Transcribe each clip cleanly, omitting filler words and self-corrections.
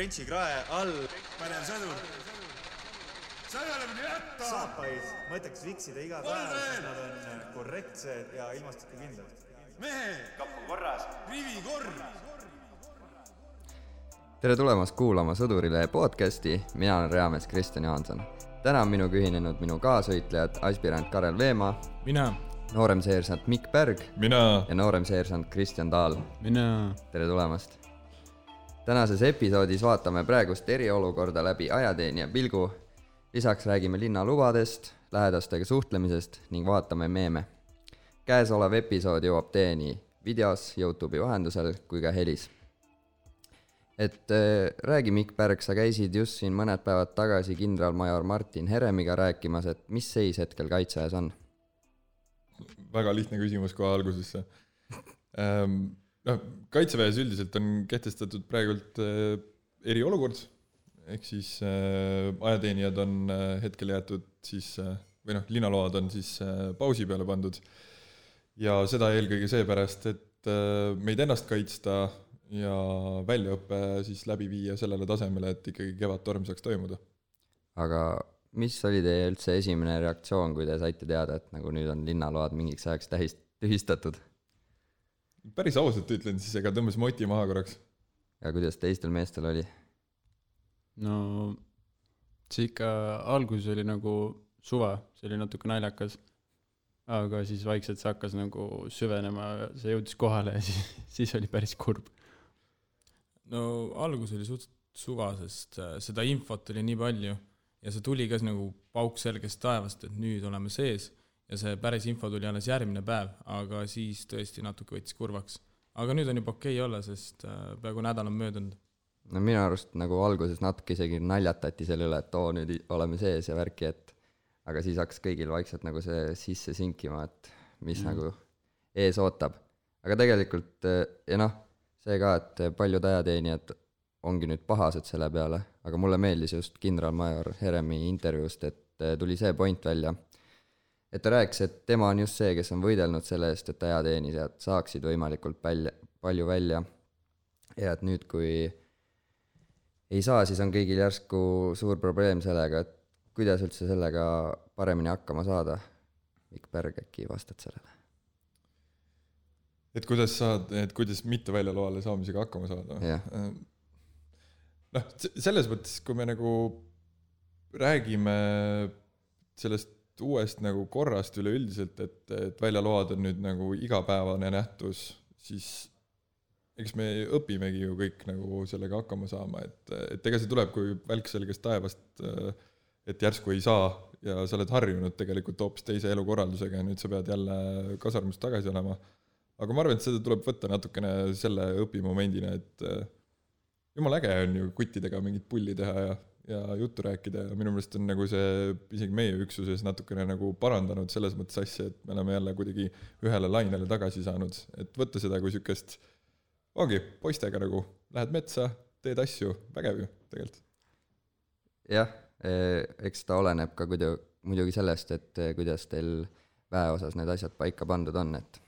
Trenchi krae all. Pänev sõdur. Sa ei ole minu jätta! Saapaid mõtleks viksida iga päev, sest nad on korrektsed ja ilmastikukindlad. Mehe! Kapp on korras. Rivi korr! Tere tulemast kuulama Sõdurile podcasti, mina olen Reamees Kristjan Jaanson. Täna on minuga ühinenud minu kaasvõitlejad aspirant Karel Veemaa, mina, nooremseersant Mikk Pärg mina ja nooremseersant Kristjan Taal. mina. Tere tulemast! Tänases episoodis vaatame praegust eriolukorda läbi ajateenija pilgu, lisaks räägime linnalubadest, lähedastega suhtlemisest ning vaatame meeme. Käesolev episood jõuab teieni videos, YouTube'i vahendusel kui ka helis. Räägi Mikk Pärg, sa käisid just siin mõned päevad tagasi kindralmajor Martin Heremiga rääkimas, et mis seis hetkel kaitseajas on? Väga lihtne küsimus kohe algusesse. Kaitseväes üldiselt on kehtestatud praegult eriolukord, ehk siis ajateenijad on hetkel jäetud siis, linnaload on siis pausi peale pandud ja seda eelkõige seepärast, et meid ennast kaitsta ja väljaõppe siis läbi viia sellele tasemele, et ikkagi kevadtorm saaks toimuda. Aga mis oli teie üldse esimene reaktsioon, kui te saite teada, et nagu nüüd on linnaload mingiks ajaks tühistatud? Päris ausalt ütlen, siis ega tõmbas moti maha korraks. Ja kuidas teistel meestel oli? No see ikka alguses oli nagu suva, see oli natuke naljakas, aga siis vaikselt see hakkas nagu süvenema, see jõudis kohale ja siis oli päris kurb. No algus oli suht suva, sest seda infot oli nii palju ja see tuli ka nagu pauk selgest taevast, et nüüd oleme sees ja see päris info tuli alles järgmine päev, aga siis tõesti natuke võttis kurvaks. Aga nüüd on juba okei olla, sest peaaegu nädal on möödunud. No minu arust nagu alguses natuke isegi naljatati selle üle, et nüüd oleme sees ja värki, et aga siis hakkas kõigil vaikselt nagu see sisse sinkima, et mis nagu ees ootab. Aga tegelikult, see ka, et paljud ajateenijad ongi nüüd pahased selle peale, aga mulle meeldis just kindralmajor Heremi intervjuust, et tuli see point välja, et ta rääkis, et tema on just see, kes on võidelnud selle eest, et ajateenijad saaksid võimalikult palju välja ja et nüüd, kui ei saa, siis on kõigil järsku suur probleem sellega, et kuidas üldse sellega paremini hakkama saada. Mikk Pärg, äkki vastad sellele? Et kuidas mitte väljaloale saamisega hakkama saada? Yeah. Selles mõttes, kui me nagu räägime sellest uuest nagu korrast üleüldiselt, et väljaload on nüüd nagu igapäevane nähtus, siis eks me õpimegi ju kõik nagu sellega hakkama saama, et ega see tuleb kui välk selgest taevast, et järsku ei saa ja sa oled harjunud tegelikult hoopis teise elukorraldusega ja nüüd sa pead jälle kasarmust tagasi olema. Aga ma arvan, et seda tuleb võtta natukene selle õpimomendina, et jumal äge on ju kuttidega mingit pulli teha ja juttu rääkida ja minu meelest on nagu see isegi meie üksuses natukene nagu parandanud selles mõttes asja, et me oleme jälle kuidagi ühele lainele tagasi saanud, et võtta seda kui sükest poistega nagu, lähed metsa, teed asju, vägev ju tegelikult. Jah, eks ta oleneb ka muidugi sellest, et kuidas teil väe osas need asjad paika pandud on, et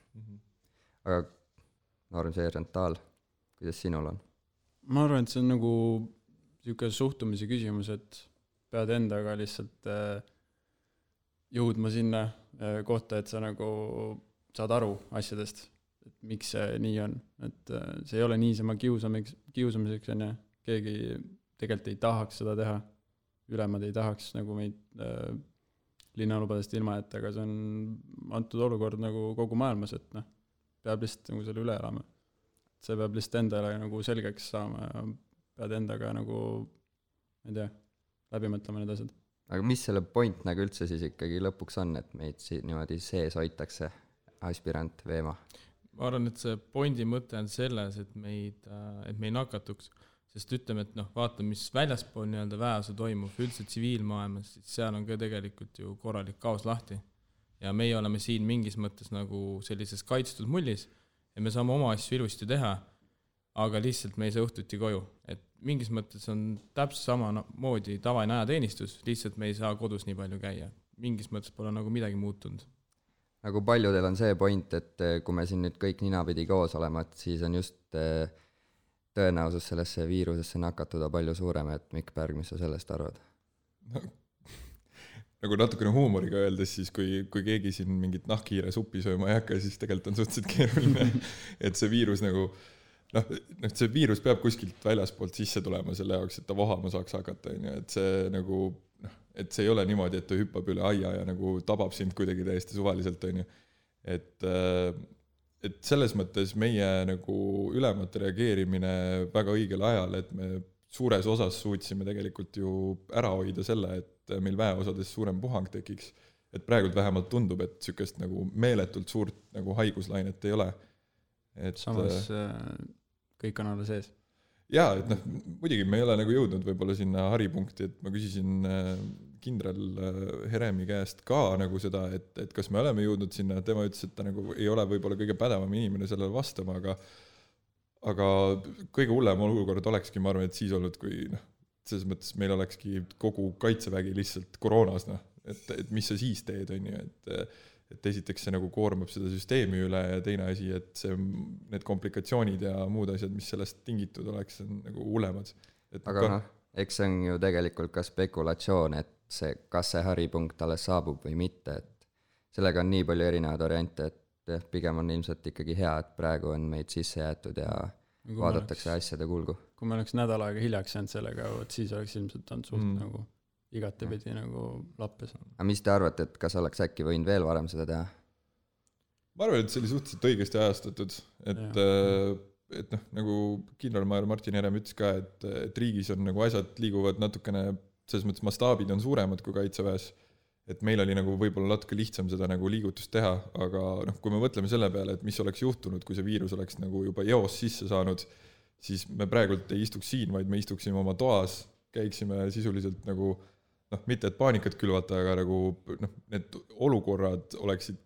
aga nooremseersant Taal, kuidas sinul on? Ma arvan, et see on nagu niisugune suhtumise küsimus, et pead endaga lihtsalt jõudma sinna kohta, et sa nagu saad aru asjadest, et miks see nii on. Et see ei ole niisama kiusamiseks, on ja keegi tegelikult ei tahaks seda teha. Ülemad ei tahaks nagu meid linnalubadest ilma, et aga see on antud olukord nagu kogu maailmas, et peab lihtsalt nagu selle üle elama. See peab lihtsalt endale nagu selgeks saama ja pead endaga nagu, ma ei tea, läbi mõtlema need asjad. Aga mis selle point nagu üldse siis ikkagi lõpuks on, et meid niimoodi sees hoitakse aspirant Veemaa? Ma arvan, et see pointi mõte on selles, et me ei nakatuks, sest ütleme, et vaata, mis väljaspool nii-öelda väeosa toimub, üldse tsiviilmaailmas, siis seal on ka tegelikult ju korralik kaos lahti. Ja meie oleme siin mingis mõttes nagu sellises kaitstud mullis ja me saame oma asju ilusti teha, aga lihtsalt me ei saa õhtuti koju. Et mingis mõttes on täpselt sama moodi tavaine ajateenistus, lihtsalt me ei saa kodus nii palju käia. Mingis mõttes pole nagu midagi muutunud. Nagu paljudel on see point, et kui me siin nüüd kõik ninapidi koos olema, et siis on just tõenäosus sellesse viirusesse nakatuda palju suurem, et Mikk Pärg, mis sa sellest arvad? Nagu natukene huumoriga öeldes, siis kui keegi siin mingit nahkhiire suppi sööma ei hakka, siis tegelikult on suhteliselt keeruline, et see viirus nagu see viirus peab kuskilt väljaspoolt sisse tulema selle jaoks, et ta vohama saaks hakata, et see nagu et see ei ole niimoodi, et ta hüppab üle aia ja nagu tabab sind kuidagi täiesti suvaliselt, et selles mõttes meie nagu ülemate reageerimine väga õigel ajal, et me suures osas suutsime tegelikult ju ära hoida selle, et meil väeosades suurem puhang tekiks, et praegult vähemalt tundub, et sükest nagu meeletult suurt nagu haiguslainet ei ole. Et samas kõik on alla sees. Jaa, et muidugi me ei ole nagu jõudnud võib-olla sinna haripunkti, et ma küsisin kindral Heremi käest ka nagu seda, et kas me oleme jõudnud sinna, tema ütles, et ta nagu ei ole võib-olla kõige pädevam inimene sellele vastama, aga kõige hullem olukord olekski, ma arvan, et siis olnud, kui selles mõttes meil olekski kogu kaitsevägi lihtsalt koroonas, et mis sa siis teed, et esiteks see nagu koormab seda süsteemi üle ja teine asi, et need komplikatsioonid ja muud asjad, mis sellest tingitud oleks, on nagu hullemad. Aga eks see on ju tegelikult ka spekulatsioon, et kas see haripunkt alles saabub või mitte, et sellega on nii palju erinevaid variante, et pigem on ilmselt ikkagi hea, et praegu on meid sisse jäetud ja vaadatakse asjade kulgu. Kui me oleks nädal aega hiljaks jäänud sellega, siis oleks ilmselt olnud suht nagu igatepidi nagu lappes. Aga mis te arvate, et kas oleks äkki võinud veel varem seda teha? Ma arvan, et see oli suhteliselt õigesti ajastatud, et nagu kindralmajor Martin Herem ütles ka, et riigis on nagu asjad liiguvad natukene, selles mõttes mastaabid on suuremad kui kaitseväes, et meil oli nagu võib-olla natuke lihtsam seda nagu liigutust teha, aga kui me mõtleme selle peale, et mis oleks juhtunud, kui see viirus oleks nagu juba eos sisse saanud, siis me praegult ei istuks siin, vaid me istuksime oma toas, käiksime sisuliselt nagu mitte et paanikat külvata, aga nagu need olukorrad oleksid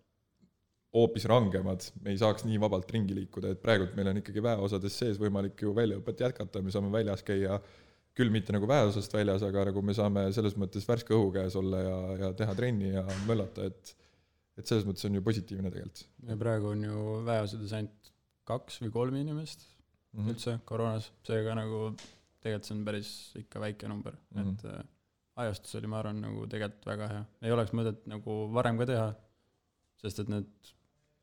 hoopis rangemad, me ei saaks nii vabalt ringi liikuda, et praegult meil on ikkagi väeosades sees võimalik ju väljaõpet jätkata, me saame väljas käia, küll mitte nagu väeosast väljas, aga nagu me saame selles mõttes värske õhu käes olla ja teha trenni ja möllata, et selles mõttes on ju positiivne tegelikult. Ja praegu on ju väeosades ainult 2 või 3 inimest üldse koroonas, seega nagu tegelikult see on päris ikka väike number, et ajastus oli, ma arvan, nagu tegelikult väga hea. Ei oleks mõtet nagu varem ka teha, sest et need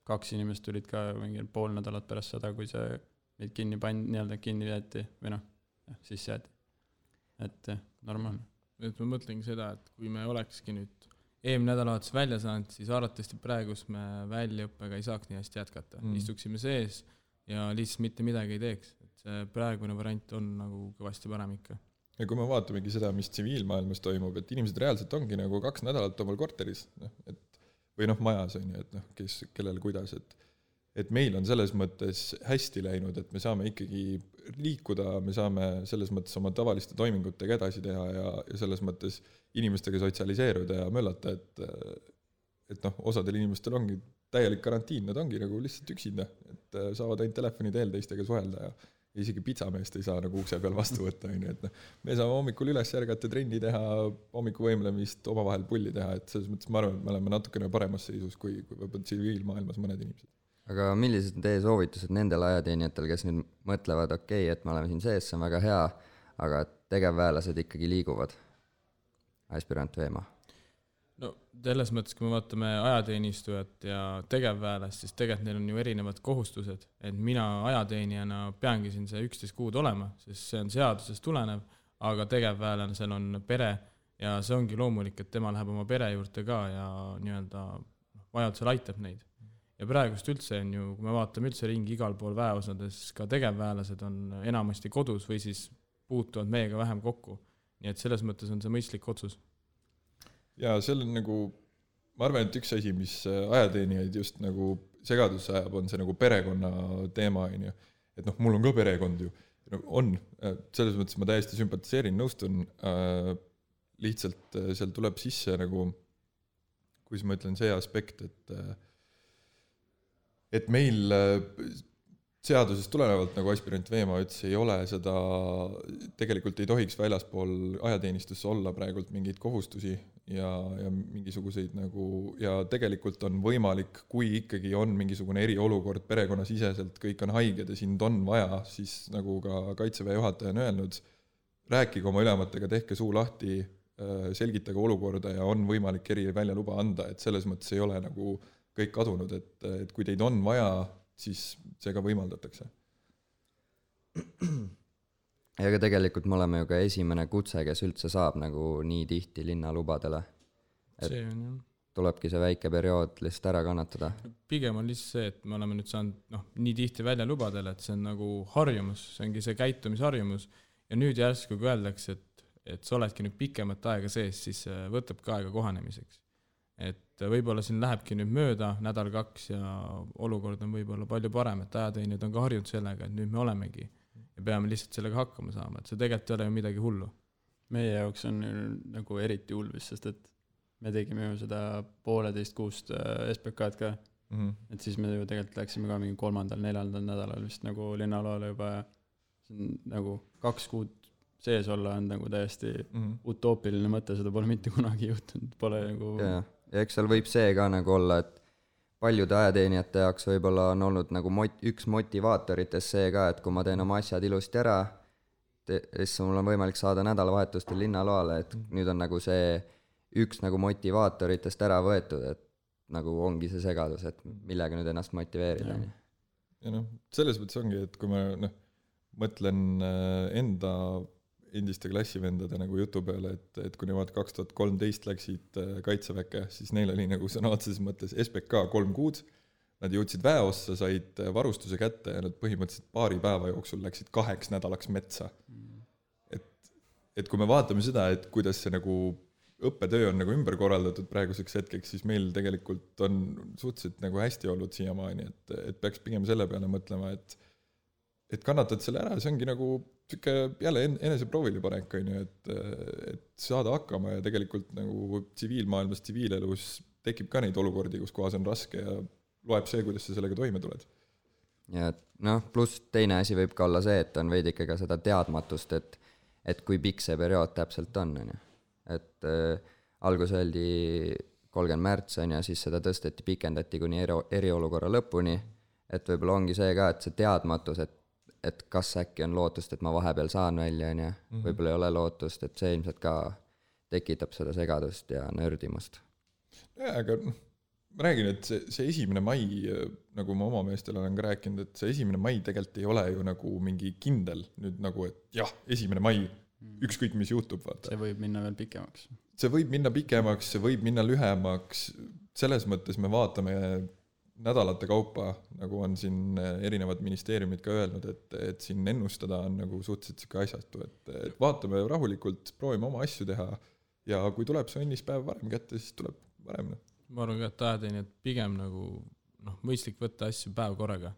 2 inimest tulid ka mingi pool nädalat pärast seda, kui see meid kinni jäeti või siis jäeti. Et normaalne. Et ma mõtlengi seda, et kui me olekski nüüd eelmine nädalavahetus välja saanud, siis arvatavasti praegus me väljaõppega ei saaks nii hästi jätkata. Istuksime sees ja lihtsalt mitte midagi ei teeks. Et see praegune variant on nagu kõvasti parem ikka. Ja kui me vaatamegi seda, mis tsiviilmaailmas toimub, et inimesed reaalselt ongi nagu 2 nädalat omal korteris, või majas on ju, et kellel kuidas, et meil on selles mõttes hästi läinud, et me saame ikkagi liikuda, me saame selles mõttes oma tavaliste toimingutega edasi teha ja selles mõttes inimestega sotsialiseeruda ja möllata, et osadel inimestel ongi täielik karantiin, nad ongi nagu lihtsalt üksinda, et saavad ainult telefoni teel teistega suhelda ja isegi pitsameest ei saa nagu ukse peal vastu võtta, et me saame hommikul üles järgata, trenni teha, hommikuvõimlemist, omavahel pulli teha, et selles mõttes ma arvan, et me oleme natukene paremas seisus kui võib-olla tsiviilmaailmas mõned inimesed. Aga millised on teie soovitused nendel ajateenijatel, kes nüüd mõtlevad, okei, et me oleme siin sees, see on väga hea, aga tegevväelased ikkagi liiguvad? Aspirant Veemaa. No selles mõttes, kui me vaatame ajateenistujat ja tegevväelast, siis tegelikult neil on ju erinevad kohustused, et mina ajateenijana peangi siin see 11 kuud olema, sest see on seadusest tulenev, aga tegevväelane seal on pere ja see ongi loomulik, et tema läheb oma pere juurde ka ja nii-öelda vajadusel aitab neid. Ja praegust üldse on ju, kui me vaatame üldse ringi igal pool väeosades, ka tegevväelased on enamasti kodus või siis puutuvad meiega vähem kokku. Nii et selles mõttes on see mõistlik otsus. Ja seal on nagu, ma arvan, et üks asi, mis ajateenijaid just nagu segadusse ajab, on see nagu perekonna teema, et mul on ka perekond ju, on, selles mõttes ma täiesti sümpatiseerin, nõustun, lihtsalt seal tuleb sisse nagu, kuidas ma ütlen, see aspekt, et meil seadusest tulenevalt, nagu aspirant Veemaa ütles, ei ole seda, tegelikult ei tohiks väljaspool ajateenistusse olla praegult mingeid kohustusi ja mingisuguseid nagu, ja tegelikult on võimalik, kui ikkagi on mingisugune eriolukord perekonnasiseselt, kõik on haiged ja sind on vaja, siis nagu ka Kaitseväe juhataja on öelnud, rääkige oma ülematega, tehke suu lahti, selgitage olukorda ja on võimalik väljaluba anda, et selles mõttes ei ole nagu kõik kadunud, et kui teid on vaja, siis see ka võimaldatakse. Ja ka tegelikult me oleme ju ka esimene kutse, kes üldse saab nagu nii tihti linnalubadele. See on jah. Tulebki see väike periood lihtsalt ära kannatada. Pigem on lihtsalt see, et me oleme nüüd saanud nii tihti väljalubadele, et see on nagu harjumus, see ongi see käitumisharjumus ja nüüd järsku kui öeldakse, et sa oledki nüüd pikemat aega sees, siis võtab ka aega kohanemiseks. Et võib-olla siin lähebki nüüd mööda nädal 2 ja olukord on võib-olla palju parem, et ajateenijad on ka harjunud sellega, et nüüd me olemegi ja peame lihtsalt sellega hakkama saama, et see tegelikult ei ole ju midagi hullu. Meie jaoks on nagu eriti hulvis, sest et me tegime ju seda 1,5 kuust SPK-d ka, et siis me ju tegelikult läksime ka mingi 3.-4. nädalal vist nagu linnaloale juba ja nagu 2 kuud sees olla on nagu täiesti utoopiline mõte, seda pole mitte kunagi juhtunud, pole nagu... Ja eks seal võib see ka nagu olla, et paljude ajateenijate jaoks võib-olla on olnud nagu üks motivaatoritest see ka, et kui ma teen oma asjad ilusti ära, siis mul on võimalik saada nädalavahetustel linnaloale, et nüüd on nagu see üks nagu motivaatoritest ära võetud, et nagu ongi see segadus, et millega nüüd ennast motiveerida. Ja selles mõttes ongi, et kui ma mõtlen enda endiste klassivendade nagu jutu peale, et kui nemad 2013 läksid Kaitseväkke, siis neil oli nagu sõna otseses mõttes SPK 3 kuud, nad jõudsid väeossa, said varustuse kätte ja nad põhimõtteliselt 2 päeva jooksul läksid 2 nädalaks metsa. Et kui me vaatame seda, et kuidas see nagu õppetöö on nagu ümber korraldatud praeguseks hetkeks, siis meil tegelikult on suhteliselt nagu hästi olnud siiamaani, et peaks pigem selle peale mõtlema, et kannatad selle ära, see ongi nagu jälle enese proovile panek, et saada hakkama ja tegelikult nagu tsiviilmaailmas, tsiviilelus tekib ka neid olukordi, kus kohas on raske ja loeb see, kuidas sa sellega toime tuled. Ja pluss teine asi võib ka olla see, et on veidi ikka seda teadmatust, et kui pikk see periood täpselt on. Et algus öeldi 30 märts on ja siis seda tõsteti, pikendati kuni eriolukorra lõpuni, et võib-olla ongi see ka, et see teadmatus, et kas äkki on lootust, et ma vahepeal saan välja, võib-olla ei ole lootust, et see ilmselt ka tekitab seda segadust ja nördimust. Aga ma räägin, et see 1. mai, nagu ma oma meestel olen ka rääkinud, et see 1. mai tegelikult ei ole ju nagu mingi kindel nüüd nagu, et jah, 1. mai, ükskõik mis juhtub. Vaata. See võib minna veel pikemaks. See võib minna pikemaks, see võib minna lühemaks, selles mõttes me vaatame nädalate kaupa, nagu on siin erinevad ministeeriumid ka öelnud, et siin ennustada on nagu suhteliselt siuke asjatu, et vaatame rahulikult, proovime oma asju teha ja kui tuleb see õnnispäev varem kätte, siis tuleb varem. Ma arvan ka, et ajateenijad pigem nagu mõistlik võtta asju päev korraga,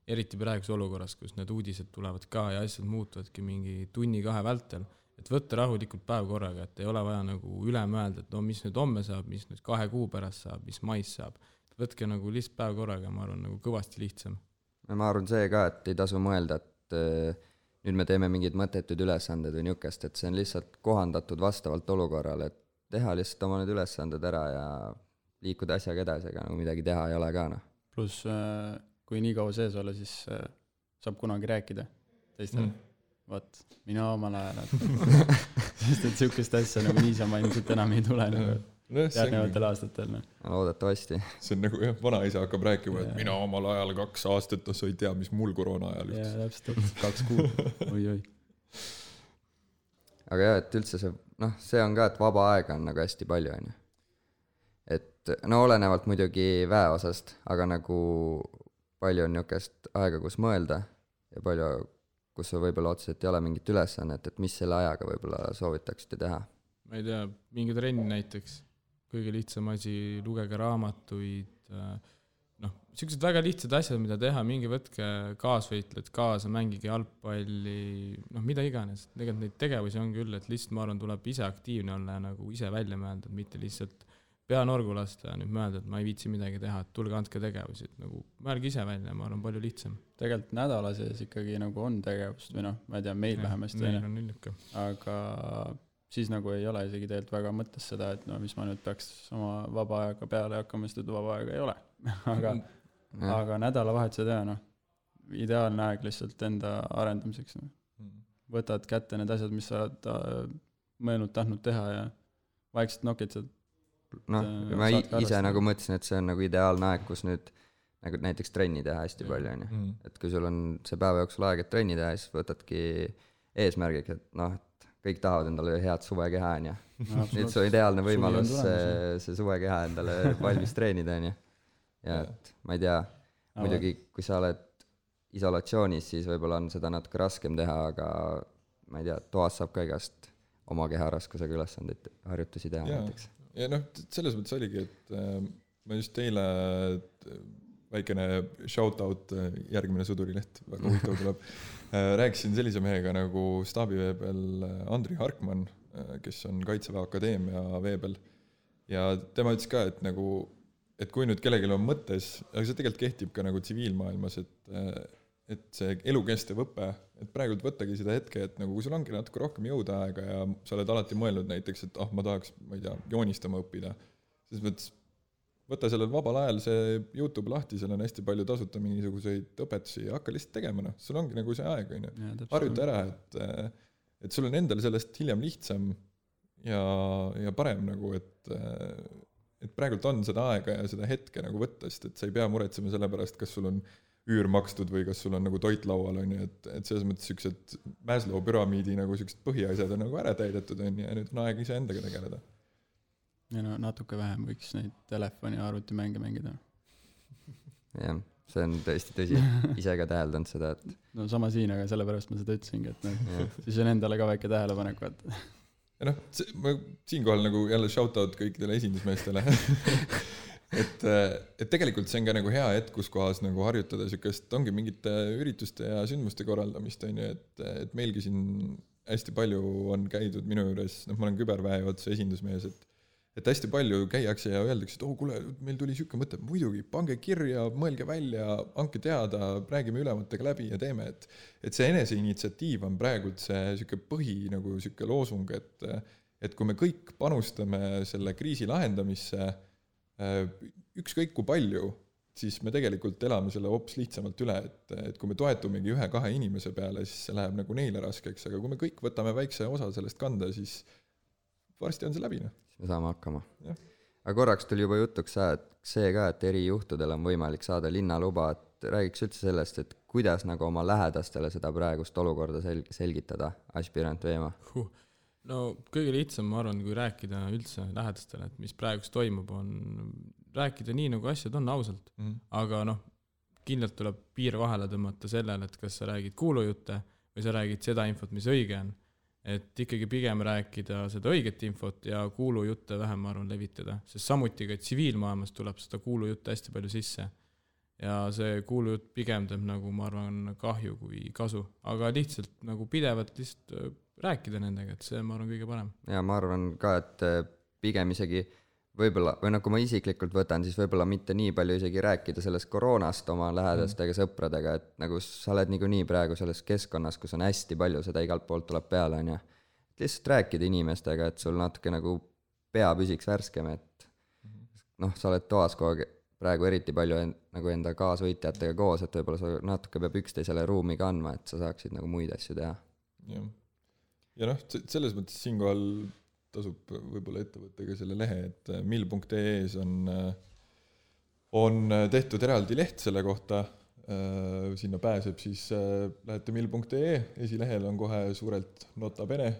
eriti praeguse olukorras, kus need uudised tulevad ka ja asjad muutuvadki mingi 1-2 vältel, et võtta rahulikult päev korraga, et ei ole vaja nagu üle mõelda, et mis nüüd homme saab, mis nüüd 2 kuu pärast saab, mis mais saab. Võtke nagu lihtsalt päev korraga, ma arvan, nagu kõvasti lihtsam. Ma arvan see ka, et ei tasu mõelda, et nüüd me teeme mingid mõttetud ülesanded või niukest, et see on lihtsalt kohandatud vastavalt olukorrale, et teha lihtsalt oma need ülesanded ära ja liikuda asjaga edasi, aga nagu midagi teha ei ole ka. Plus, kui nii kaua sees olla, siis saab kunagi rääkida teistel. Vaat, mina omal ajal. Sest et siukest asja nagu niisama ilmselt enam ei tule nagu järgnevatel aastatel. Loodetavasti. See on nagu vanaisa hakkab rääkima, et mina omal ajal 2 aastat, sa ei tea, mis mul koroona ajal just. Ja, täpselt, 2 kuud. Oi. Aga jah, et üldse see on ka, et vaba aega on nagu hästi palju. Et olenevalt muidugi väeosast, aga nagu palju on niukest aega, kus mõelda ja palju, kus võib-olla otseselt ei ole mingit ülesannet, et mis selle ajaga võib-olla soovitaksite teha? Ma ei tea, mingi trenni näiteks, kõige lihtsam asi, lugege raamatuid, siuksed väga lihtsad asjad, mida teha, mingi võtke kaasvõitled kaasa, mängige jalgpalli, mida iganes. Tegelikult neid tegevusi on küll, et lihtsalt ma arvan, tuleb ise aktiivne olla ja nagu ise välja mõelda, mitte lihtsalt pea norgu lasta ja nüüd mõelda, et ma ei viitsi midagi teha, et tulge andke tegevusi, et nagu mõelge ise välja, ma arvan, palju lihtsam. Tegelikult nädala sees ikkagi nagu on tegevust või noh, ma ei tea, meil vähemasti meil on illuke. aga siis nagu ei ole isegi tegelikult väga mõttes seda, et no mis ma nüüd peaks oma vaba aega peale hakkama, sest vaba aega ei ole. aga nädalavahetused ja noh, ideaalne aeg lihtsalt enda arendamiseks. Võtad kätte need asjad, mis sa oled mõelnud tahtnud teha ja vaikselt nokitsad. Noh, ma ise nagu mõtlesin, et see on nagu ideaalne aeg, kus nüüd nagu näiteks trenni teha hästi palju, on ju. Et kui sul on see päeva jooksul aeg, et trenni teha, siis võtadki eesmärgiks, et noh, et kõik tahavad endale head suvekeha, on ju. Nüüd see on ideaalne võimalus see suvekeha endale valmis treenida, on ju. Ja et ma ei tea, muidugi kui sa oled isolatsioonis, siis võib-olla on seda natuke raskem teha, aga ma ei tea, toas saab ka igast oma keharaskusega ülesandeid harjutusi teha näiteks. Ja noh, selles mõttes oligi, et ma just teile väikene shoutout, järgmine Sõdurileht, väga huvitav tuleb, rääkisin sellise mehega nagu staabiveebel Andri Harkmann, kes on Kaitseväe Akadeemia veebel, ja tema ütles ka, et nagu, et kui nüüd kellelgi on mõttes, aga see tegelikult kehtib ka nagu tsiviilmaailmas, et see elukestev õpe, et praegult võttagi seda hetke, et nagu kui sul ongi natuke rohkem jõuda aega ja sa oled alati mõelnud näiteks, et ma tahaks, ma ei tea, joonistama õppida, siis mõttes võta sellel vabal ajal see YouTube lahti, seal on hästi palju tasuta mingisuguseid õpetusi ja hakka lihtsalt tegema, noh, sul ongi nagu see aeg, harjuta ära, et sul on endal sellest hiljem lihtsam ja parem nagu, et praegult on seda aega ja seda hetke nagu võtta, sest et sa ei pea muretsema selle pärast, kas sul on üür makstud või kas sul on nagu toit laual, on ju, et selles mõttes siuksed Maslow püramiidi nagu siuksed põhiasjad on nagu ära täidetud, on ju, ja nüüd on aeg ise endaga tegeleda. Ja no natuke vähem võiks neid telefoni ja arvutimänge mängida. Jah, see on tõesti tõsi, ise ka täheldanud seda, et no sama siin, aga sellepärast ma seda ütlesingi, et siis on endale ka väike tähelepanek, vaata. Ja noh, ma siinkohal nagu jälle shoutout kõikidele esindusmeestele. et tegelikult see on ka nagu hea hetk, kus kohas nagu harjutada siukest, ongi mingite ürituste ja sündmuste korraldamist, on ju, et meilgi siin hästi palju on käidud minu juures, noh, ma olen küberväe otsa esindusmees, et hästi palju käiakse ja öeldakse, et kuule, meil tuli siuke mõte, muidugi, pange kirja, mõelge välja, anke teada, räägime ülematega läbi ja teeme, et see enese initsiatiiv on praegult see siuke põhi nagu siuke loosung, et kui me kõik panustame selle kriisi lahendamisse, ükskõik kui palju, siis me tegelikult elame selle hoopis lihtsamalt üle, et kui me toetumegi 1-2 inimese peale, siis see läheb nagu neile raskeks, aga kui me kõik võtame väikse osa sellest kanda, siis varsti on see läbi. Me saame hakkama. Aga korraks tuli juba jutuks see ka, et eri juhtudel on võimalik saada linnaluba, et räägiks üldse sellest, et kuidas nagu oma lähedastele seda praegust olukorda selgitada, aspirant Veema? No kõige lihtsam, ma arvan, kui rääkida üldse lähedastele, et mis praegust toimub, on rääkida nii, nagu asjad on ausalt. Aga noh, kindlalt tuleb piir vahele tõmmata sellele, et kas sa räägid kuulujutte või sa räägid seda infot, mis õige on. Et ikkagi pigem rääkida seda õiget infot ja kuulujutte vähem, ma arvan, levitada. Sest samuti ka tsiviilmaailmas tuleb seda kuulujutte hästi palju sisse. Ja see kuulujutt pigem teeb nagu, ma arvan, kahju kui kasu. Aga lihtsalt nagu pidevalt lihtsalt rääkida nendega, et see, ma arvan, kõige parem. Ja ma arvan ka, et pigem isegi võib-olla, või nagu ma isiklikult võtan, siis võib-olla mitte nii palju isegi rääkida sellest koroonast oma lähedastega, sõpradega, et nagu sa oled nii praegu selles keskkonnas, kus on hästi palju, seda igalt poolt tuleb peale, on ju. Et lihtsalt rääkida inimestega, et sul natuke nagu pea püsiks värskem, et noh, sa oled toas kogu praegu eriti palju nagu enda kaasvõitjatega koos, et võib-olla sa natuke peab üksteisele ruumi kandma, et sa saaksid nagu muid asju teha. Ja noh, selles mõttes siinkohal tasub võib-olla ettevõttega selle lehe, et mill.ee-s on tehtud eraldi leht selle kohta, sinna pääseb, siis lähete mill.ee, esilehel on kohe suurelt nota bene,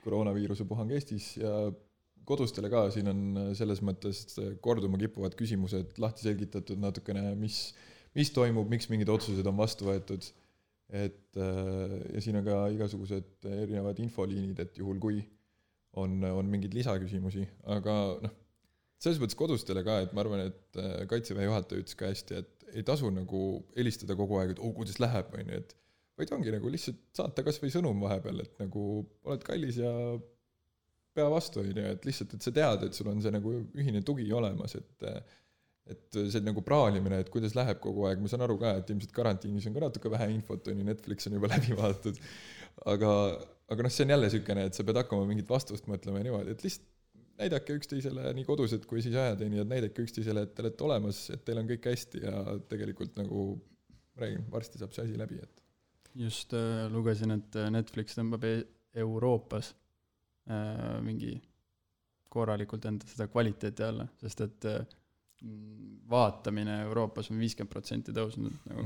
koroonaviiruse puhang Eestis ja kodustele ka, siin on selles mõttes korduma kippuvad küsimused lahti selgitatud natukene, mis toimub, miks mingid otsused on vastu võetud, ja siin on ka igasugused erinevad infoliinid, et juhul kui on mingid lisaküsimusi, aga noh, selles mõttes kodustele ka, et ma arvan, et Kaitseväe juhataja ütles ka hästi, et ei tasu nagu helistada kogu aeg, et kuidas läheb, vaid ongi nagu lihtsalt saata kas või sõnum vahepeal, et nagu oled kallis ja pea vastu, on ju, et lihtsalt, et sa tead, et sul on see nagu ühine tugi olemas, et see nagu praalimine, et kuidas läheb kogu aeg, ma saan aru ka, et ilmselt karantiinis on ka natuke vähe infot, on ju, Netflix on juba läbi vaadatud, aga see on jälle sükene, et sa pead hakkama mingit vastust mõtlema ja niimoodi, et lihtsalt näidake üksteisele nii kodused kui siis ajateenijad, näidake üksteisele, et te olete olemas, et teil on kõik hästi ja tegelikult nagu räägin, varsti saab see asi läbi, et just lugesin, et Netflix tõmbab Euroopas mingi korralikult enda seda kvaliteeti alla, sest et vaatamine Euroopas on 50% tõusnud nagu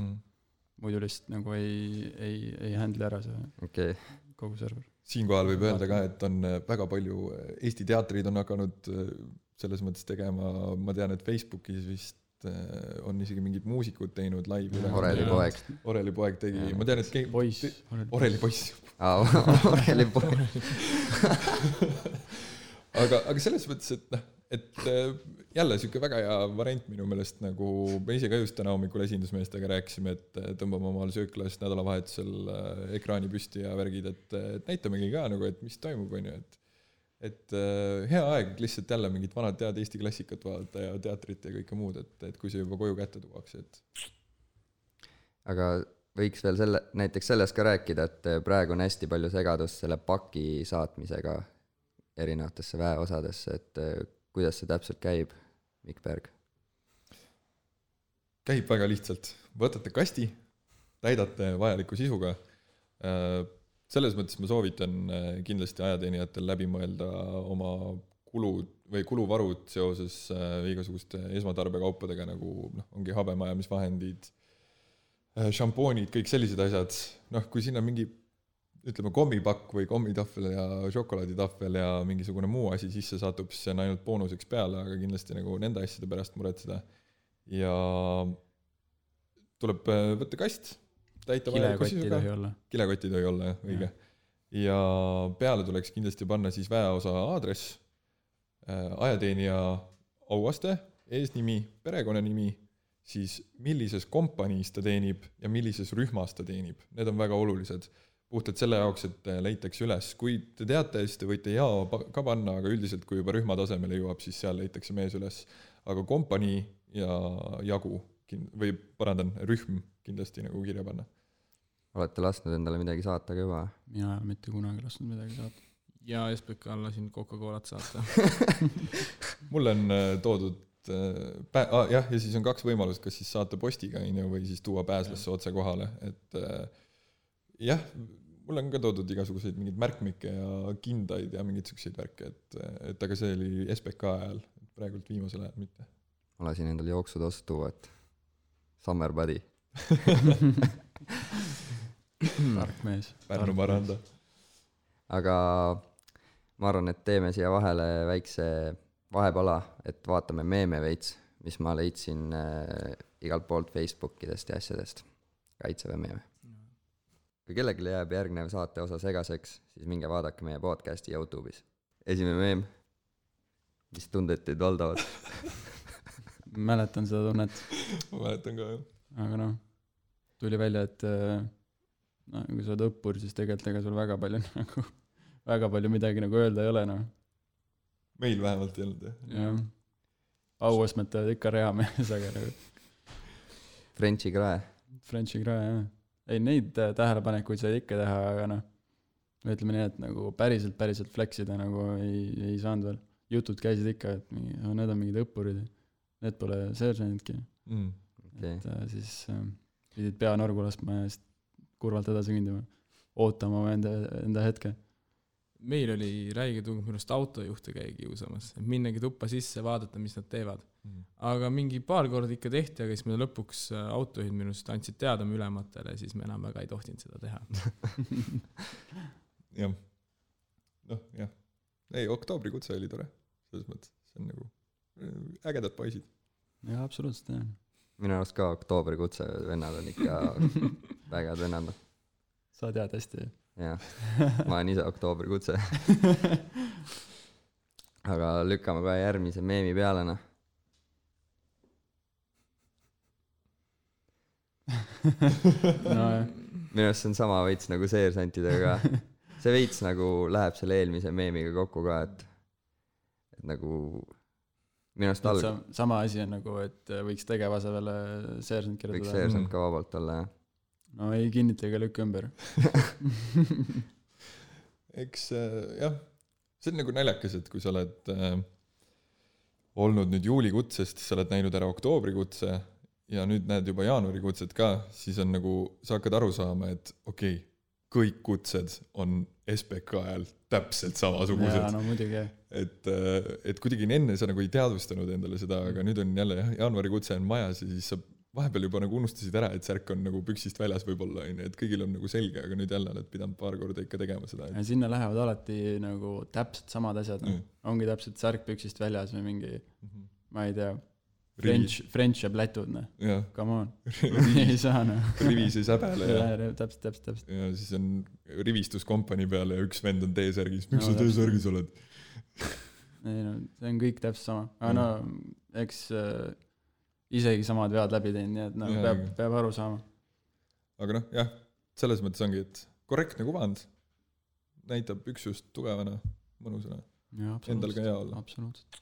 muidu lihtsalt nagu ei handle ära see kogu server. Siinkohal võib öelda ka, et on väga palju Eesti teatrid on hakanud selles mõttes tegema, ma tean, et Facebookis vist on isegi mingid muusikud teinud live Oreli poeg tegi, ma tean, et Oreli poiss Oreli poeg aga selles mõttes, et jälle siuke väga hea variant minu meelest, nagu me ise ka just täna hommikul esindusmeestega rääkisime, et tõmbame omal sööklas nädalavahetusel ekraani püsti ja värgid, et näitamegi ka nagu, et mis toimub, on ju, et hea aeg lihtsalt jälle mingit vanad tead Eesti klassikat vaadata ja teatrit ja kõike muud, et kui see juba koju kätte tuuakse, et aga võiks veel näiteks sellest ka rääkida, et praegu on hästi palju segadust selle paki saatmisega erinevatesse väeosadesse, et kuidas see täpselt käib, Mikk Berg? Käib väga lihtsalt. Võtate kasti, täidate vajaliku sisuga. Selles mõttes ma soovitan kindlasti ajateenijatel läbi mõelda oma kuluvarud seoses igasuguste esmatarbekaupadega, nagu ongi habemajamisvahendid, šampoonid, kõik sellised asjad. Kui siin on mingi ütleme kommipakk või kommitahvel ja šokolaaditahvel ja mingisugune muu asi sisse satub, siis see on ainult boonuseks peale, aga kindlasti nagu nende asjade pärast muretseda. Ja tuleb võtta kast, täita vajaliku sisuga. Kilekoti tohi olla, õige. Ja peale tuleks kindlasti panna siis väeosa aadress, ajateenija auaste, eesnimi, perekonnanimi, siis millises kompaniis ta teenib ja millises rühmas ta teenib. Need on väga olulised. Puhtalt selle jaoks, et leitakse üles. Kui te teate, siis te võite ka panna, aga üldiselt, kui juba rühma tasemele jõuab, siis seal leitakse mees üles. Aga kompanii ja jagu, või parandan, rühm kindlasti nagu kirja panna. Olete lasknud endale midagi saata ka juba? Mina mitte kunagi lasknud midagi saata. Ja SPK lasin Coca-Colat saata. Mul on toodud ja siis on 2 võimalust, kas siis saata postiga või siis tuua pääslasse otse kohale, et jah, mul on ka toodud igasuguseid mingid märkmikke ja kindaid ja mingid selliseid värke, et aga see oli SPK ajal, praegult viimasel ajal mitte. Ma lasin endale jooksutost tuua, et summer body. Tark mees. Pärnu Maranda. Aga ma arvan, et teeme siia vahele väikse vahepala, et vaatame meeme veits, mis ma leidsin igalt poolt Facebookidest ja asjadest. Kaitseväe meeme. Kui kellelegi jääb järgnev saate osa segaseks, siis minge vaadake meie podcasti YouTube'is. Esimene meem, mis tunded teid valdavad? Mäletan seda tunnet. Ma mäletan ka, jah. Aga tuli välja, et kui sa oled õppur, siis tegelikult ega sul väga palju midagi nagu öelda ei ole. Meil vähemalt ei olnud, jah. Jah. Auastmed ikka reamees, aga Frenchi krae, jah. Ei, neid tähelepanekuid sai ikka teha, aga ütleme nii, et nagu päriselt fleksida nagu ei saanud veel. Jutud käisid ikka, et need on mingid õppurid, need pole seersandidki. Okay. Et siis pidid pea norgu laskma ja siis kurvalt edasi kõndima, ootama enda hetke. Meil oli räige tung minust autojuhte käi kiusamas, et minnagi tuppa sisse, vaadata, mis nad teevad. Aga mingi paar korda ikka tehti, aga siis me lõpuks autojuhid minust andsid teada ülematele, siis me enam väga ei tohtinud seda teha. Jah. Jah. Ei, oktoobrikutse oli tore. Selles mõttes, see on nagu ägedad poisid. Jah, absoluutselt, jah. Minu arust ka oktoobrikutse vennad on ikka vägad vennad. Sa tead hästi. Jah, ma olen ise oktoobrikutse. Aga lükkame kohe järgmise meemi peale, Minu arust see on sama veits nagu seersantidega. see veits nagu läheb selle eelmise meemiga kokku ka, et nagu minu arust sama asi on nagu, et võiks tegevasemele seersant kirjutada. Võiks seersant ka vabalt olla, jah. No ei kinnita ega lükka ümber. Eks jah, see on nagu naljakas, et kui sa oled olnud nüüd juulikutsest, siis sa oled näinud ära oktoobrikutse ja nüüd näed juba jaanuarikutset ka, siis on nagu, sa hakkad aru saama, et okei, kõik kutsed on SBK ajal täpselt samasugused. Jaa, no muidugi. Et kuidagi enne sa nagu ei teadvustanud endale seda, aga nüüd on jälle jaanuarikutse on majas ja siis sa vahepeal juba nagu unustasid ära, et särk on nagu püksist väljas võib-olla, et kõigil on nagu selge, aga nüüd jälle oled pidanud paar korda ikka tegema seda. Ja sinna lähevad alati nagu täpselt samad asjad. Ongi täpselt särk püksist väljas või mingi, ma ei tea, French ja plätud, come on. Ei saa, Rivis ei säbele. Täpselt. Ja siis on rivistuskompani peale ja üks vend on T-särgis. Miks sa T-särgis oled? Ei no, see on kõik täpselt sama. Aga no, eks isegi samad vead läbi teinud, nii et no, peab aru saama. Aga noh, jah, selles mõttes ongi, et korrektne kuvand näitab üksust tugevana, mõnusana. Endal ka hea olla. Absoluutselt.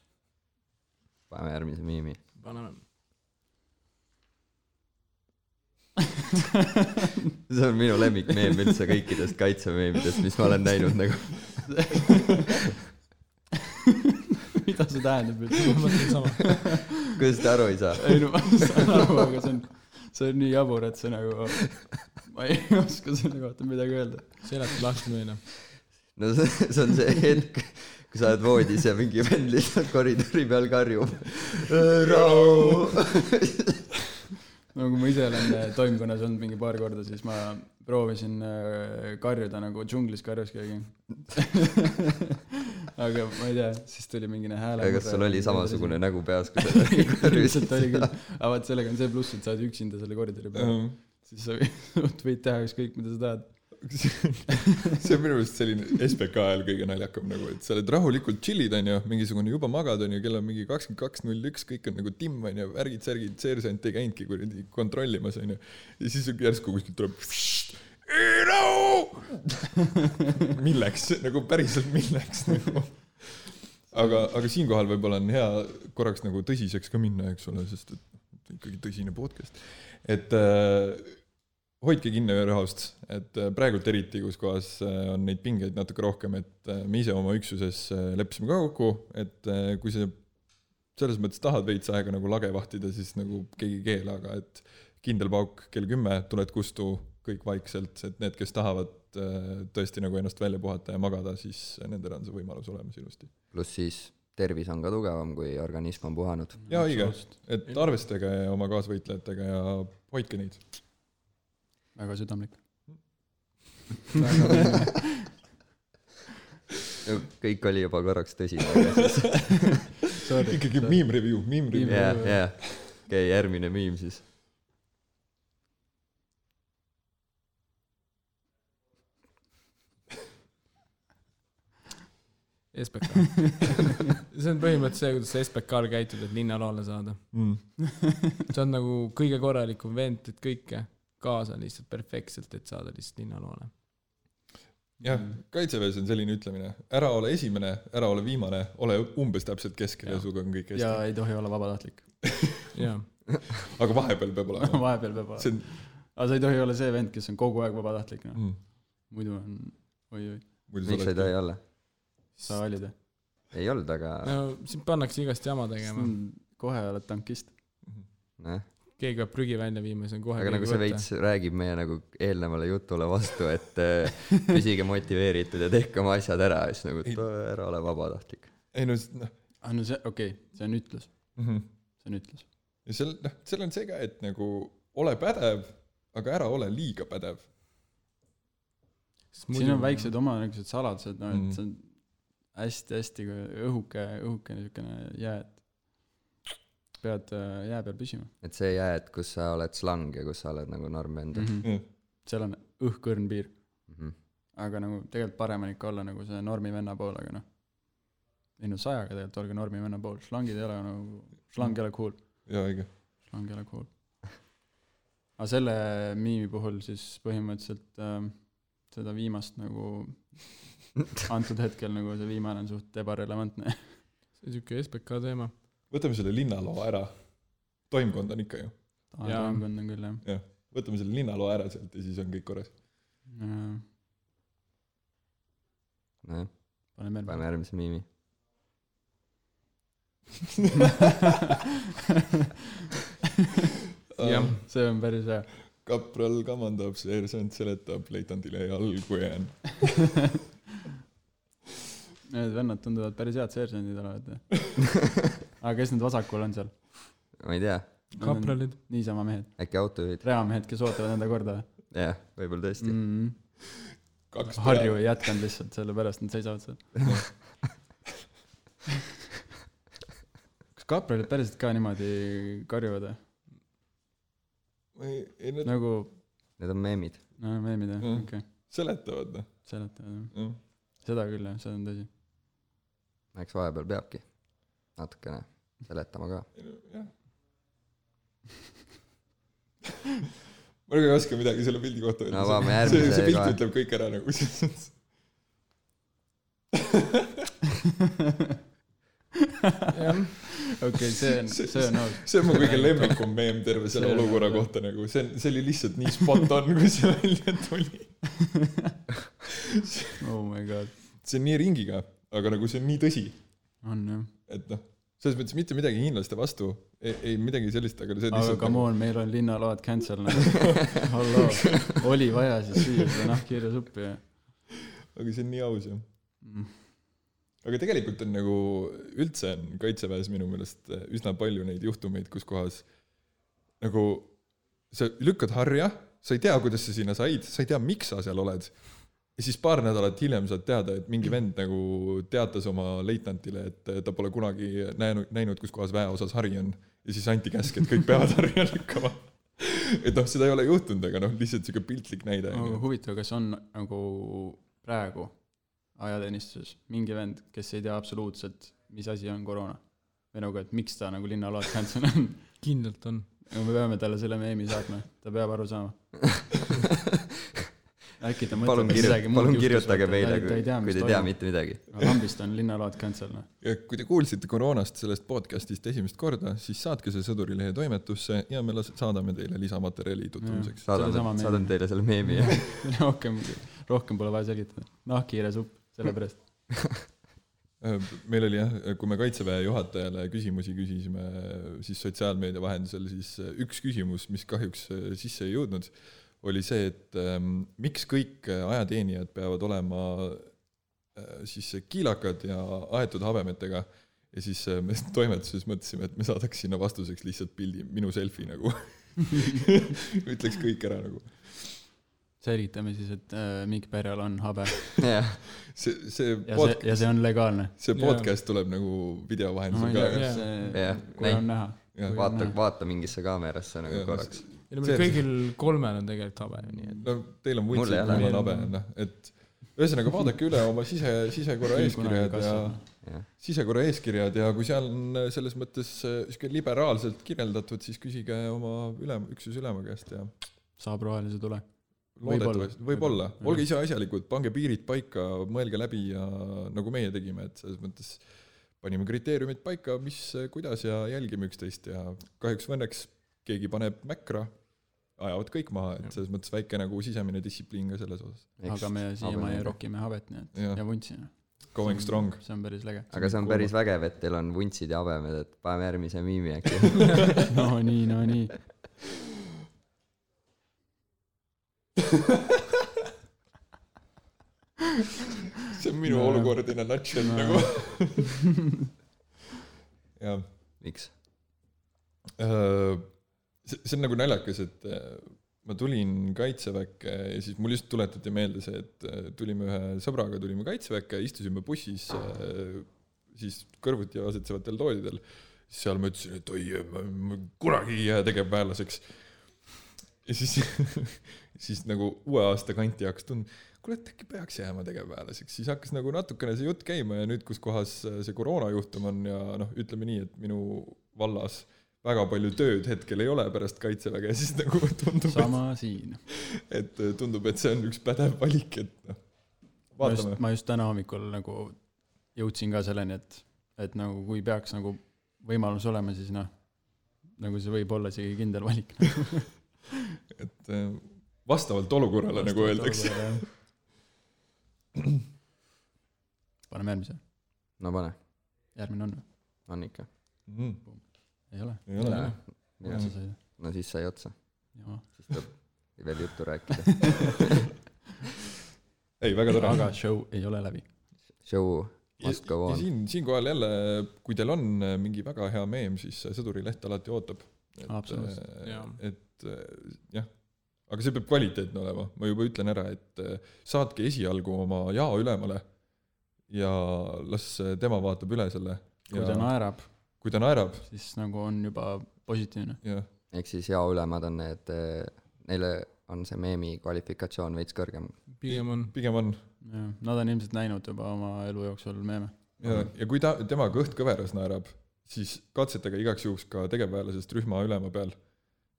Paneme järgmise miimi. Paneme. See on minu lemmikmeem üldse kõikidest kaitsemeemidest, mis ma olen näinud nagu. Mida see tähendab üldse? Kuidas te aru ei saa? Ei no, ma saan aru, aga see on nii jabur, et see nagu ma ei oska selle kohta midagi öelda. Seletad lahti meile. No see on see hetk, kui sa oled voodis ja mingi vend lihtsalt koridori peal karjub. Rahu! No kui ma ise olen toimkonnas olnud mingi paar korda, siis ma proovisin karjuda nagu džunglis karjus keegi. Aga ma ei tea, siis tuli mingine hääle. Kas sul oli samasugune nägu peas, kui sa karjusid? Lihtsalt oli küll. Aga vaat sellega on see pluss, et sa oled üksinda selle koridori peal. Siis sa võid teha ükskõik, mida sa tahad. See on minu meelest selline SBK ajal kõige naljakam nagu, et sa oled rahulikult chillid, on ju, mingisugune juba magad, on ju, kell on mingi 22.01, kõik on nagu timm, on ju, värgid, seersant ei käinudki kuradi kontrollimas, on ju. Ja siis järsku kuskilt tuleb milleks, nagu päriselt milleks nagu. Aga siinkohal võib-olla on hea korraks nagu tõsiseks ka minna, eks ole, sest et ikkagi tõsine podcast. Et hoidke kinni rahust, et praegult eriti, kus kohas on neid pingeid natuke rohkem, et me ise oma üksuses leppisime ka kokku, et kui sa selles mõttes tahad veits aega nagu lage vahtida, siis nagu keegi keela, aga et kindel pauk kell 10 tuled kustu kõik vaikselt, et need, kes tahavad tõesti nagu ennast välja puhata ja magada, siis nendel on see võimalus olemas ilusti. Plus siis tervis on ka tugevam, kui organism on puhanud. Ja õige, et arvestage oma kaasvõitlejatega ja hoidke neid. Väga südamlik. Kõik oli juba korraks tõsine. Ikkagi meme review. Jaa. Okei, järgmine meme siis. SBK. See on põhimõtteliselt see, kuidas SBK-l käitud, et linnaloole saada. See on nagu kõige korralikum vent, et kõike kaasa lihtsalt perfektselt, et saada lihtsalt linnaloole. Jah, kaitseväes on selline ütlemine. Ära ole esimene, ära ole viimane, ole umbes täpselt keskel ja suga on kõik hästi. Ja ei tohi olla vabatahtlik. Aga vahepeal peab olema. Vahepeal peab olema. Aga sa ei tohi olla see vend, kes on kogu aeg vabatahtlik. Muidu on oi. Miks ei tohi olla? Sa olid? Ei olnud, aga... No siin pannakse igast jama tegema. Kohe oled tankist. Keegi peab prügi välja viima, see on kohe aga nagu see veits räägib meie nagu eelnevale jutule vastu, et püsige motiveeritud ja tehke oma asjad ära, siis nagu, et ära ole vabatahtlik. Ei no, see, okei, see on ütlus. See on ütlus. Ja seal on see ka, et nagu ole pädev, aga ära ole liiga pädev. Siin on väiksed oma niisugused saladused, no, et see on hästi õhuke niisugune jää, et pead jää peal püsima. Et see jää, et kus sa oled slang ja kus sa oled nagu normvend. Seal on õhkõrn piir. Aga nagu tegelikult parem on ikka olla nagu see normivenna pool, aga noh. Ei no 100-ga tegelikult olge normivenna pool. Slangid ei ole nagu, slang ei ole cool. Jaa, õige. Slang ei ole cool. Aga selle miimi puhul siis põhimõtteliselt seda viimast nagu antud hetkel nagu see viimane on suht ebarelevantne. see on siuke SBK teema. võtame selle linnaloo ära. Toimkond on ikka ju. Toimkond on küll, jah. Jah, võtame selle linnaloo ära sealt ja siis on kõik korras. nojah, paneme järgmise miimi. jah, see on päris hea. Kapral kamandab, seersant seletab, leitandile jalgu jään. Need vennad tunduvad päris head seersandid olevat. Aga kes need vasakul on seal? Ma ei tea. kapralid. Niisama mehed. Äkki autojuhid? Reamehed, kes ootavad enda korda. Jah, võib-olla tõesti. Harju ei jätkanud lihtsalt, sellepärast nad seisavad seal. Kas kapralid päriselt ka niimoodi karjuvad? Nagu... Need on meemid. No, meemid, jah, okei. Seletavad, noh. Seletavad, jah. Seda küll, jah, seda on tõsi. Eks vahepeal peabki natukene seletama ka. Jah. Ma ei oska midagi selle pildi kohta öelda. No, vaame järgmise see pilt ütleb kõik ära nagu. Okei, see on aus. See on mu kõige lemmikum meem terve selle olukorra kohta nagu. See oli lihtsalt nii spot on, kui see välja tuli. Oh my god. See on nii ringiga, aga nagu see on nii tõsi. On, jah. Et noh, selles mõttes mitte midagi hiinlaste vastu, ei midagi sellist, aga see lihtsalt... Aga come on, meil on linnaload cancel. Halloo, oli vaja siis süüa seda nahkhiire suppi. Aga see on nii aus, jah. Aga tegelikult on nagu üldse on kaitseväes minu meelest üsna palju neid juhtumeid, kus kohas nagu sa lükkad harja, sa ei tea, kuidas sa sinna said, sa ei tea, miks sa seal oled. Ja siis paar nädalat hiljem saad teada, et mingi vend nagu teatas oma leitnantile, et ta pole kunagi näinud, kus kohas väeosas hari on. Ja siis anti käsk, et kõik peavad harja lükkama. Et noh, seda ei ole juhtunud, aga noh, lihtsalt siuke piltlik näide. Aga huvitav, kas on nagu praegu ajateenistuses mingi vend, kes ei tea absoluutselt, mis asi on koroona? Või nagu, et miks ta nagu linnaload cancel on? Kindlalt on. Me peame talle selle meemi saatma. Ta peab aru saama. Äkki ta mõtleb midagi muud. Palun kirjutage meile, kui te tea mitte midagi. Lambist on linnaload cancel. Ja kui te kuulsite koroonast sellest podcastist esimest korda, siis saatke see Sõdurilehe toimetusse ja me saadame teile lisamaterjali tutvumiseks. Saadan teile selle meemi. Rohkem pole vaja selgitada. Nahkhiire supp, sellepärast. Meil oli jah, kui me kaitseväe juhatajale küsimusi küsisime siis sotsiaalmeedia vahendusel, siis üks küsimus, mis kahjuks sisse ei jõudnud, oli see, et miks kõik ajateenijad peavad olema siis kiilakad ja aetud habemetega ja siis me toimetuses mõtlesime, et me saadaks sinna vastuseks lihtsalt pildi, minu selfie nagu. Ütleks kõik ära nagu. Selgitame siis, et Mikk Pärjal on habe. Ja see on legaalne. See podcast tuleb nagu video vahendusel ka. Kui on näha. Vaata mingisse kaamerasse nagu korraks. Kõigil kolmel on tegelikult habe. No teil on vuntsid, mul on habe. Et ühesõnaga vaadake üle oma sisekorra eeskirjad ja kui seal on selles mõttes liberaalselt kirjeldatud, siis küsige oma üksuse ülema käest. Saab rohelise tule. Võib-olla. Olge ise asjalikud, pange piirid paika, mõelge läbi ja nagu meie tegime, et selles mõttes panime kriteeriumid paika, mis, kuidas ja jälgime üksteist ja kahjuks õnneks keegi paneb mäkra, ajavad kõik maha, et selles mõttes väike nagu sisemine distsipliin ka selles osas. Aga me siiamaani rokime habet ja vuntsime. Going strong. See on päris lege. Aga see on päris vägev, et teil on vuntsid ja habemed, et paneme järgmise miimi äkki. No nii. See on minu olukord in a nutshell nagu. Ja. Miks? See on nagu naljakas, et ma tulin kaitseväkke ja siis mul just tuletati meelde see, et tulime ühe sõbraga, tulime kaitseväkke, istusime bussis siis kõrvuti asetsevatel toolidel. Seal ma ütlesin, et ma kunagi ei jää tegevväelaseks. Ja siis nagu uue aasta kanti hakkas kuule, et äkki peaks jääma tegevväelaseks. Siis hakkas nagu natukene see jutt käima ja nüüd, kus kohas see koroonajuhtum on ja noh, ütleme nii, et minu vallas väga palju tööd hetkel ei ole pärast kaitseväge, siis nagu tundub, sama siin. et tundub, et see on üks pädev valik, et noh, vaatame. Ma just täna hommikul nagu jõudsin ka selleni, et nagu kui peaks nagu võimalus olema, siis noh, nagu see võib olla isegi kindel valik. et vastavalt olukorrale, nagu öeldakse. Paneme järgmise. No pane. Järgmine on või? On ikka. Ei ole. Ei ole. No siis sai otsa. Jaa. Siis tuleb veel juttu rääkida. Ei, väga tore. Aga show ei ole läbi. Show must go on. Siinkohal jälle, kui teil on mingi väga hea meem, siis Sõdurileht alati ootab. Et jah, aga see peab kvaliteetne olema. Ma juba ütlen ära, et saatke esialgu oma jaa ülemale ja las tema vaatab üle selle. Kui ta naerab, siis nagu on juba positiivne. Ehk siis jaa ülemad on need, neile on see meemi kvalifikatsioon veits kõrgem. Pigem on. Nad on ilmselt näinud juba oma elu jooksul meeme. Ja kui tema kõht kõveras naerab, siis katsetage igaks juhuks ka tegevväelasest rühma ülema peal.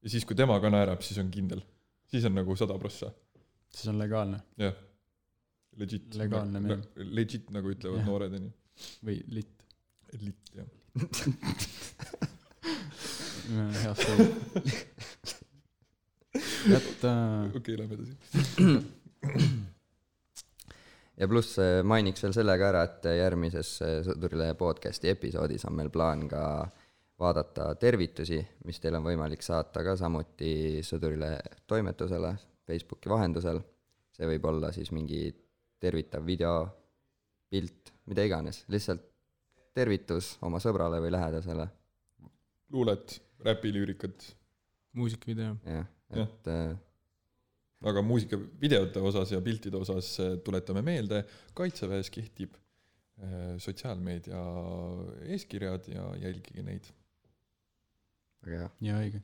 Ja siis, kui tema ka naerab, siis on kindel. Siis on nagu 100%. Siis on legaalne. Jah. Legit. Legaalne meem. Legit, nagu ütlevad noored. Või lit. Lit, jah. Hea sõi. Okei, lähme edasi. Ja pluss mainiks veel sellega ära, et järgmises Sõdurilehe podcasti episoodis on meil plaan ka vaadata tervitusi, mis teil on võimalik saata ka samuti Sõdurilehe toimetusele Facebooki vahendusel. See võib olla siis mingi tervitav video, pilt, mida iganes. Lihtsalt tervitus oma sõbrale või lähedasele. Luulet, räpilüürikat. Muusikavideo. Jah, et... Aga muusikavideote osas ja piltide osas tuletame meelde, Kaitseväes kehtib sotsiaalmeedia eeskirjad ja jälgige neid. Väga hea. Ja õige.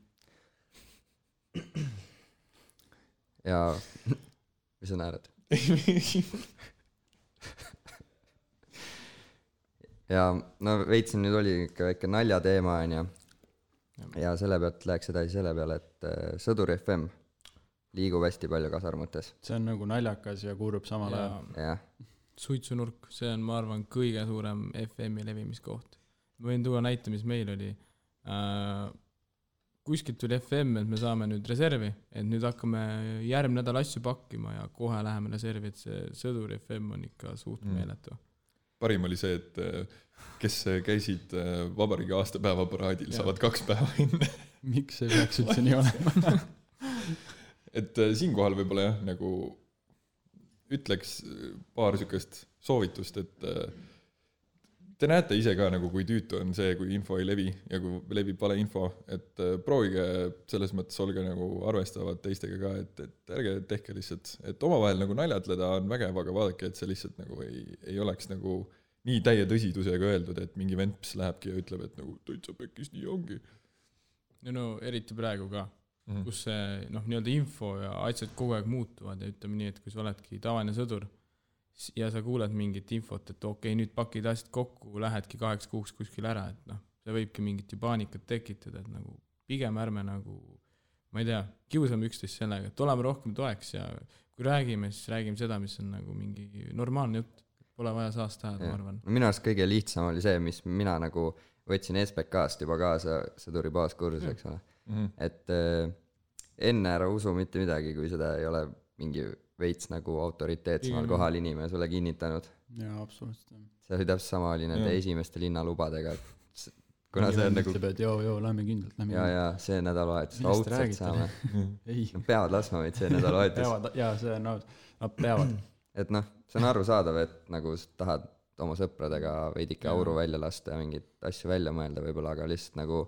Ja mis sa naerad? Ja no veitsin nüüd oli ikka väike naljateema on ja selle pealt läheks edasi selle peale, et Sõdur FM liigub hästi palju kasarmutes. See on nagu naljakas ja kuulub samal ajal. Ja. Suitsunurk, see on, ma arvan, kõige suurem FM-i levimiskoht. Ma võin tuua näite, mis meil oli. Kuskilt tuli FM, et me saame nüüd reservi, et nüüd hakkame järgmine nädal asju pakkima ja kohe läheme reservi, et see Sõdur FM on ikka suht meeletu. Parim oli see, et kes käisid vabariigi aastapäeva paraadil, saavad 2 päeva enne. Miks see peaks üldse nii olema? Et siinkohal võib-olla jah, nagu ütleks paar sükest soovitust, et te näete ise ka nagu kui tüütu on see, kui info ei levi ja kui levib vale info, et proovige selles mõttes olge nagu arvestavad teistega ka, et ärge tehke lihtsalt, et omavahel nagu naljatleda on vägev, aga vaadake, et see lihtsalt nagu ei oleks nagu nii täie tõsidusega öeldud, et mingi vents lähebki ja ütleb, et nagu täitsa pekkis nii ongi. No eriti praegu ka. Kus see nii-öelda info ja asjad kogu aeg muutuvad ja ütleme nii, et kui sa oledki tavaline sõdur ja sa kuuled mingit infot, et okei, nüüd pakid asjad kokku, lähedki 8 kuuks kuskil ära, et see võibki mingit paanikat tekitada, et nagu pigem ärme nagu, ma ei tea, kiusame üksteist sellega, et oleme rohkem toeks ja kui räägime, siis räägime seda, mis on nagu mingi normaalne jutt, pole vaja saast ajada, ma arvan. Minu arust kõige lihtsam oli see, mis mina nagu võtsin SPK-st juba kaasa sõduri baaskursus, eks ole. Et enne ära usu mitte midagi, kui seda ei ole mingi veits nagu autoriteetsemal kohal inimene sulle kinnitanud. Jaa, absoluutselt. See oli täpselt sama oli nende esimeste linnalubadega, et kuna see on nagu... Joo, lähme kindlalt. Ja, see nädalavahetus raudselt saame. Peavad laskma meid see nädalavahetus. Jaa, see on nad peavad. Et see on arusaadav, et nagu tahad oma sõpradega veidike auru välja lasta ja mingit asju välja mõelda võib-olla, aga lihtsalt nagu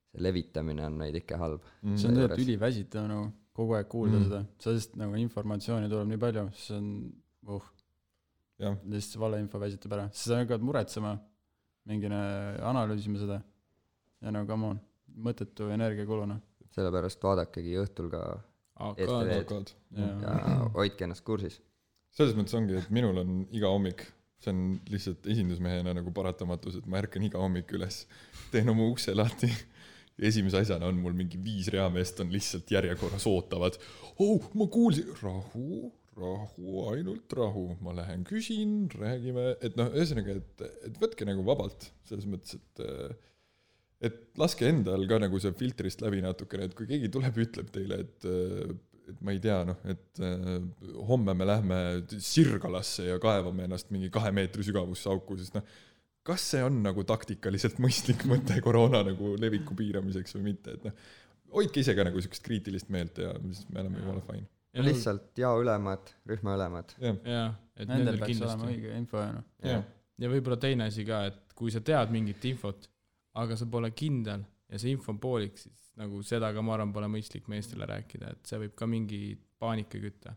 see levitamine on veidike halb. See on tegelikult üliväsitav nagu kogu aeg kuulda seda, sest nagu informatsiooni tuleb nii palju, see on lihtsalt valeinfo väsitab ära, siis sa hakkad muretsema, mingine analüüsima seda ja no come on, mõttetu energiakuluna. Sellepärast vaadakegi õhtul ka ETV-d ja hoidke ennast kursis. Selles mõttes ongi, et minul on iga hommik, see on lihtsalt esindusmehena nagu paratamatus, et ma ärkan iga hommik üles, teen oma ukse lahti esimese asjana on mul mingi 5 reameest on lihtsalt järjekorras ootavad. Ma kuulsin, rahu, ainult rahu, ma lähen küsin, räägime, et ühesõnaga, et võtke nagu vabalt, selles mõttes, et laske endal ka nagu see filtrist läbi natukene, et kui keegi tuleb, ütleb teile, et ma ei tea, et homme me lähme Sirgalasse ja kaevame ennast mingi 2 meetri sügavusse auku, sest kas see on nagu taktikaliselt mõistlik mõte koroona nagu leviku piiramiseks või mitte, et hoidke ise ka nagu sellist kriitilist meelt ja me oleme jumala fine. Ja lihtsalt ülemad, rühma ülemad. Jaa, et nendel peaks olema õige info. Ja võib-olla teine asi ka, et kui sa tead mingit infot, aga sa pole kindel ja see info on poolik, siis nagu seda ka ma arvan pole mõistlik meestele rääkida, et see võib ka mingi paanika kütta.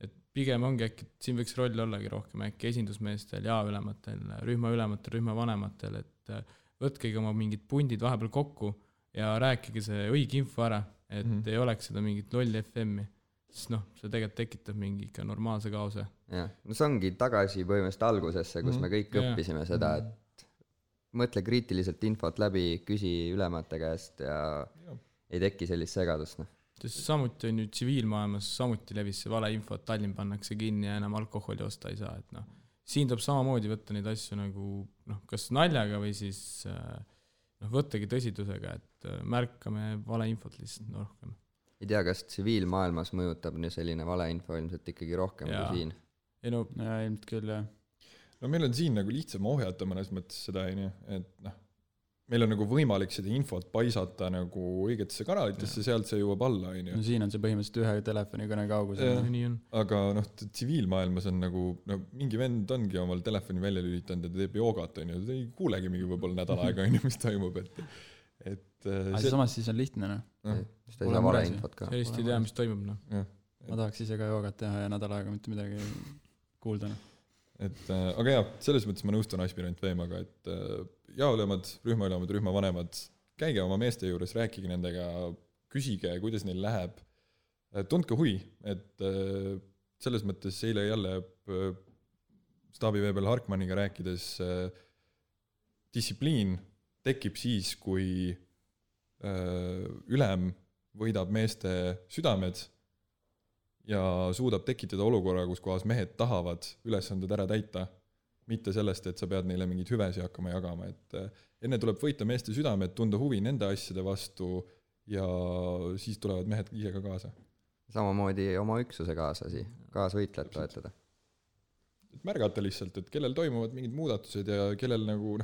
Et pigem ongi äkki, siin võiks roll ollagi rohkem äkki esindusmeestel ja ülematel, rühma ülematel, rühma vanematel, et võtkegi oma mingid pundid vahepeal kokku ja rääkige see õige info ära, et ei oleks seda mingit lolli FM-i. Siis see tegelikult tekitab mingi ikka normaalse kaose. Jah, see ongi tagasi põhimõtteliselt algusesse, kus me kõik õppisime seda, et mõtle kriitiliselt infot läbi, küsi ülemate käest ja ei teki sellist segadust. Sest samuti on ju tsiviilmaailmas samuti levis see vale info, et Tallinn pannakse kinni ja enam alkoholi osta ei saa. Et siin tuleb samamoodi võtta neid asju nagu kas naljaga või siis võttagi tõsidusega, et märkame vale infot lihtsalt rohkem. Ei tea, kas tsiviilmaailmas mõjutab selline valeinfo ilmselt ikkagi rohkem kui siin? Ilmselt küll, jah. Meil on siin nagu lihtsam ohjata mõnes mõttes seda, et meil on nagu võimalik seda infot paisata nagu õigetesse kanalitesse, sealt see jõuab alla. Siin on see põhimõtteliselt ühe telefonikõne kaugusel. Aga tsiviilmaailmas on nagu, mingi vend ongi omal telefoni välja lülitanud ja ta teeb joogat, ta ei kuulegi mingi võib-olla nädal aega, mis toimub, samas siis on lihtne, Seda ei saa vale infot ka. Sellist ei tea, mis toimub, Ma tahaks ise ka joogat teha ja nädal aega mitte midagi kuulda. Aga jah, selles mõttes ma nõustun aspirant Veemaga, et jaolemad, rühma vanemad, käige oma meeste juures, rääkige nendega, küsige, kuidas neil läheb. Tundke huvi, et selles mõttes eile jälle staabiveebel Harkmanniga rääkides distsipliin tekib siis, kui ülem võidab meeste südamed ja suudab tekitada olukorra, kus kohas mehed tahavad ülesanded ära täita, mitte sellest, et sa pead neile mingid hüvesi hakkama jagama. Et enne tuleb võita meeste südamed, tunda huvi nende asjade vastu ja siis tulevad mehed ise ka kaasa. Samamoodi oma üksuse kaasvõitlejad toetada. Et märgata lihtsalt, et kellel toimuvad mingid muudatused ja kellel nagu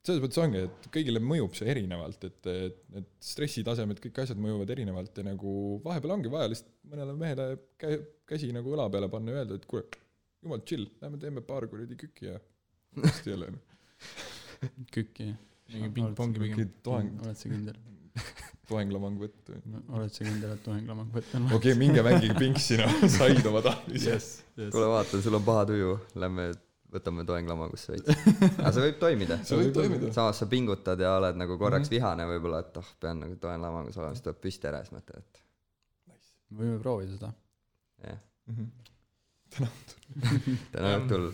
selles mõttes ongi, et kõigile mõjub see erinevalt, et stressitasemed, kõik asjad mõjuvad erinevalt ja nagu vahepeal ongi vaja lihtsalt mõnele mehele käsi nagu õla peale panna ja öelda, et kuule, jumal chill, lähme teeme paar kuradi kükki ja hästi jälle. Kükki. Mingi ping-pongi pigem. Oled sa kindel? Toenglamang võtt. Oled sa kindel, et toenglamang võtt on? Okei, minge mängige pinksina, said oma tahvise. Kuule vaatan, sul on paha tuju, lähme võtame toenglamangusse veits. Aga see võib toimida. Samas sa pingutad ja oled nagu korraks vihane võib-olla, et pean nagu toenglamangus olema, siis tuleb püsti ära, siis mõtled, et võime proovida seda. Jah. Täna õhtul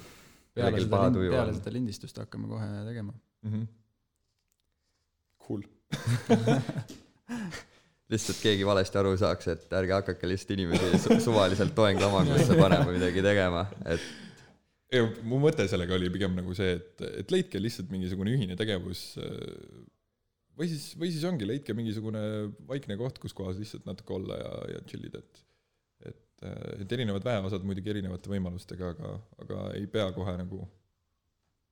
peale seda lindistust hakkame kohe tegema. Cool. Lihtsalt keegi valesti aru saaks, et ärge hakake lihtsalt inimesi suvaliselt toenglamangusse panema midagi tegema, et mu mõte sellega oli pigem nagu see, et leidke lihtsalt mingisugune ühine tegevus või siis ongi, leidke mingisugune vaikne koht, kus kohas lihtsalt natuke olla ja chillida, et erinevad väeosad muidugi erinevate võimalustega, aga ei pea kohe nagu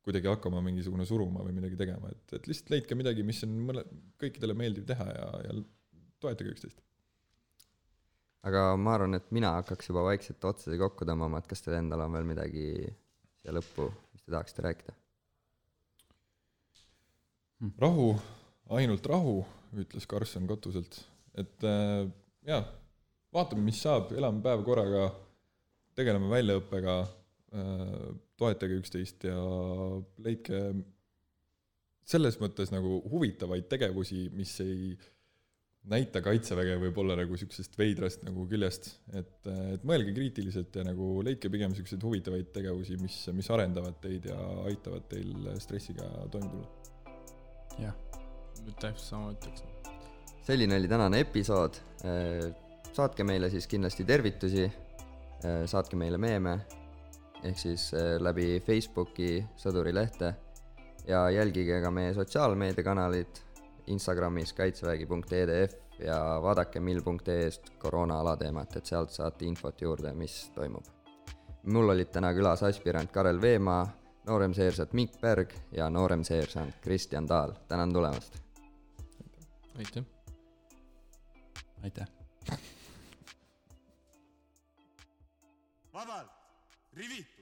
kuidagi hakkama mingisugune suruma või midagi tegema, et lihtsalt leidke midagi, mis on kõikidele meeldiv teha ja toetage üksteist. Aga ma arvan, et mina hakkaks juba vaikselt otsade kokku tõmbama, et kas teil endal on veel midagi siia lõppu, mis te tahaksite rääkida? Rahu, ainult rahu, ütles Karlsson Kotuselt. Et vaatame, mis saab, elame päev korraga, tegeleme väljaõppega, toetage üksteist ja leidke selles mõttes nagu huvitavaid tegevusi, mis ei näita kaitseväge võib olla nagu sükesest veidrast nagu küljest, et mõelge kriitiliselt ja nagu leidke pigem sükesed huvitavaid tegevusi, mis arendavad teid ja aitavad teil stressiga toime tulla. Jah. Täpselt sama ütleks. selline oli tänane episood. Saatke meile siis kindlasti tervitusi, saatke meile meeme, ehk siis läbi Facebooki Sõdurilehte ja jälgige ka meie sotsiaalmeediakanalid Instagramis kaitsevägi.edf ja vaadake mil.ee-st koroona alateemat, et sealt saate infot juurde, mis toimub. Mul olid täna külas aspirant Karel Veemaa, nooremseersant Mikk Berg ja nooremseersant Kristjan Taal. Tänan tulemast! Aitäh! Aitäh! Vabalt, rivitu!